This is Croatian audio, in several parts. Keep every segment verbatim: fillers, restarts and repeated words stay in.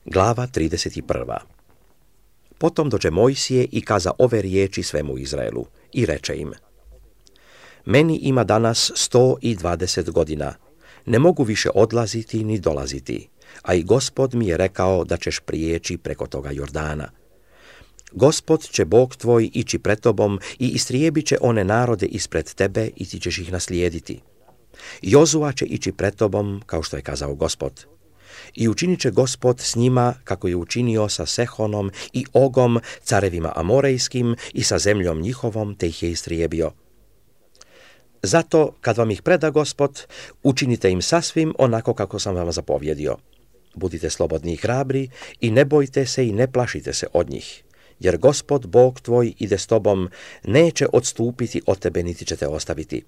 Glava trideset prva. Potom dođe Mojsije i kaza ove riječi svemu Izraelu i reče im: Meni ima danas sto i dvadeset godina, ne mogu više odlaziti ni dolaziti, a i Gospod mi je rekao da ćeš prijeći preko toga Jordana. Gospod će Bog tvoj ići pred tobom i istrijebit će one narode ispred tebe i ti ćeš ih naslijediti. Jozua će ići pred tobom, kao što je kazao Gospod. I učinit će Gospod s njima kako je učinio sa Sehonom i Ogom, carevima Amorejskim, i sa zemljom njihovom, te ih je istrijebio. Zato, kad vam ih preda Gospod, učinite im sasvim onako kako sam vam zapovjedio. Budite slobodni i hrabri i ne bojte se i ne plašite se od njih, jer Gospod Bog tvoj ide s tobom, neće odstupiti od tebe niti će te ostaviti.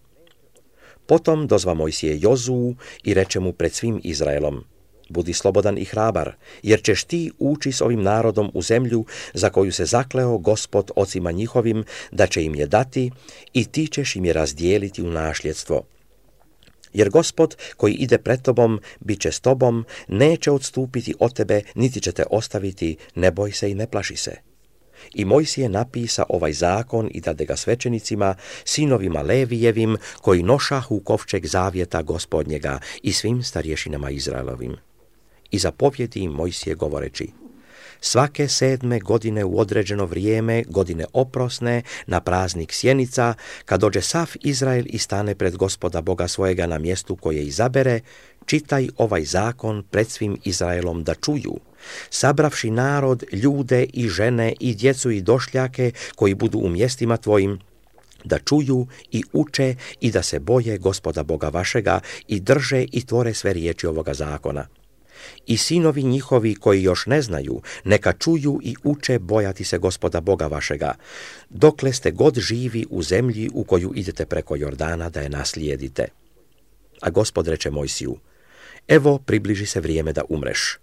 Potom dozva Mojsije Jozuu i reče mu pred svim Izraelom: Budi slobodan i hrabar, jer ćeš ti ući s ovim narodom u zemlju za koju se zakleo Gospod ocima njihovim da će im je dati, i ti ćeš im je razdijeliti u nasljedstvo. Jer Gospod koji ide pred tobom bit će s tobom, neće odstupiti od tebe, niti će te ostaviti, ne boj se i ne plaši se. I Mojsije napisa ovaj zakon i dade ga svećenicima, sinovima Levijevim, koji nošahu kovčeg zavjeta Gospodnjega, i svim starješinama Izraelovim. I zapovjedi im Mojsije govoreći: Svake sedme godine u određeno vrijeme, godine oprosne, na praznik sjenica, kad dođe sav Izrael i stane pred Gospoda Boga svojega na mjestu koje izabere, čitaj ovaj zakon pred svim Izraelom da čuju, sabravši narod, ljude i žene i djecu i došljake koji budu u mjestima tvojim, da čuju i uče i da se boje Gospoda Boga vašega i drže i tvore sve riječi ovoga zakona. I sinovi njihovi koji još ne znaju, neka čuju i uče bojati se Gospoda Boga vašega, dokle ste god živi u zemlji u koju idete preko Jordana da je naslijedite. A Gospod reče Mojsiju: Evo, približi se vrijeme da umreš.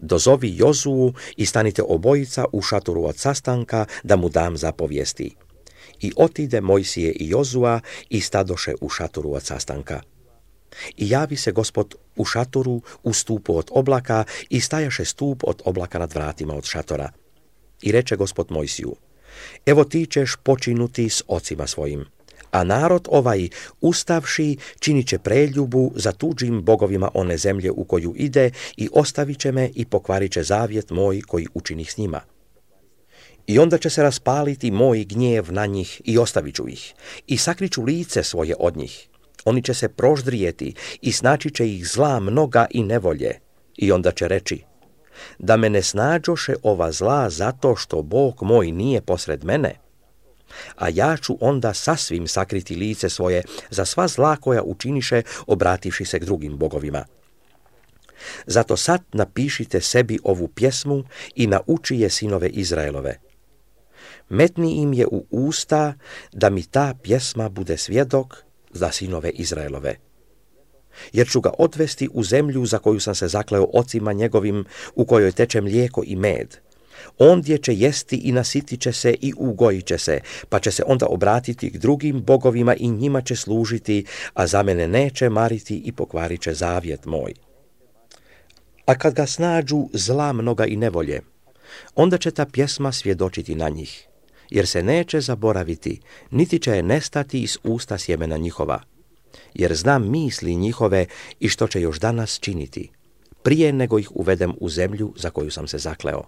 Dozovi Jozuu i stanite obojica u šatoru od sastanka da mu dam zapovijesti. I otide Mojsije i Jozua i stadoše u šatoru od sastanka. I javi se Gospod u šatoru u stupu od oblaka i stajaše stup od oblaka nad vratima od šatora. I reče Gospod Mojsiju: Evo ti ćeš počinuti s ocima svojim, a narod ovaj, ustavši, činit će preljubu za tuđim bogovima one zemlje u koju ide i ostavit će me i pokvarit će zavjet moj koji učinih s njima. I onda će se raspaliti moj gnjev na njih i ostavit ću ih i sakriću lice svoje od njih. Oni će se proždrijeti i snaći će ih zla mnoga i nevolje. I onda će reći: Da me ne snađoše ova zla zato što Bog moj nije posred mene. A ja ću onda sasvim sakriti lice svoje za sva zla koja učiniše, obrativši se k drugim bogovima. Zato sad napišite sebi ovu pjesmu i nauči je sinove Izraelove. Metni im je u usta da mi ta pjesma bude svjedok za sinove Izraelove. Jer ću ga odvesti u zemlju za koju sam se zakleo ocima njegovim, u kojoj teče mlijeko i med. Ondje će jesti i nasitit će se i ugojit će se, pa će se onda obratiti k drugim bogovima i njima će služiti, a za mene neće mariti i pokvarit će zavjet moj. A kad ga snađu zla mnoga i nevolje, onda će ta pjesma svjedočiti na njih, jer se neće zaboraviti, niti će je nestati iz usta sjemena njihova. Jer znam misli njihove i što će još danas činiti, prije nego ih uvedem u zemlju za koju sam se zakleo.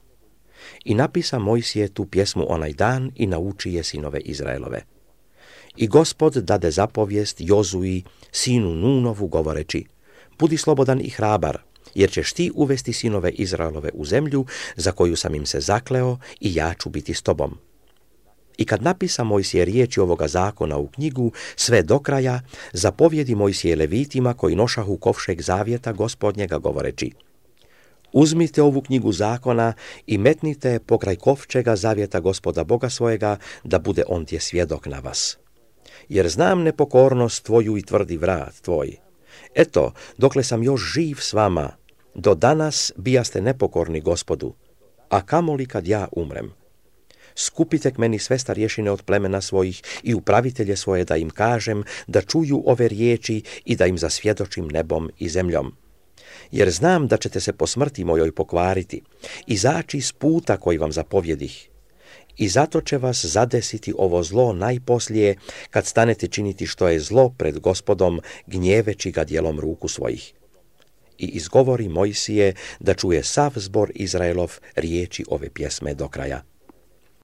I napisa Mojsije tu pjesmu onaj dan i nauči je sinove Izraelove. I Gospod dade zapovijest Jozui, sinu Nunovu, govoreći: Budi slobodan i hrabar, jer ćeš ti uvesti sinove Izraelove u zemlju za koju sam im se zakleo i ja ću biti s tobom. I kad napisa Mojsije riječi ovoga zakona u knjigu sve do kraja, zapovjedi Mojsije Levitima koji nošahu kovšeg zavjeta Gospodnjega govoreći: Uzmite ovu knjigu zakona i metnite pokraj kovčega zavjeta Gospoda Boga svojega, da bude ondje svjedok na vas. Jer znam nepokornost tvoju i tvrdi vrat tvoj. Eto, dokle sam još živ s vama, do danas bijaste nepokorni Gospodu, a kamoli kad ja umrem. Skupite k meni sve starješine od plemena svojih i upravitelje svoje, da im kažem da čuju ove riječi i da im zasvjedočim nebom i zemljom. jer znam da ćete se po smrti mojoj pokvariti, izaći s puta koji vam zapovjedih. I zato će vas zadesiti ovo zlo najposlije, kad stanete činiti što je zlo pred Gospodom, gnjeveći ga djelom ruku svojih. I izgovori Mojsije da čuje sav zbor Izraelov riječi ove pjesme do kraja.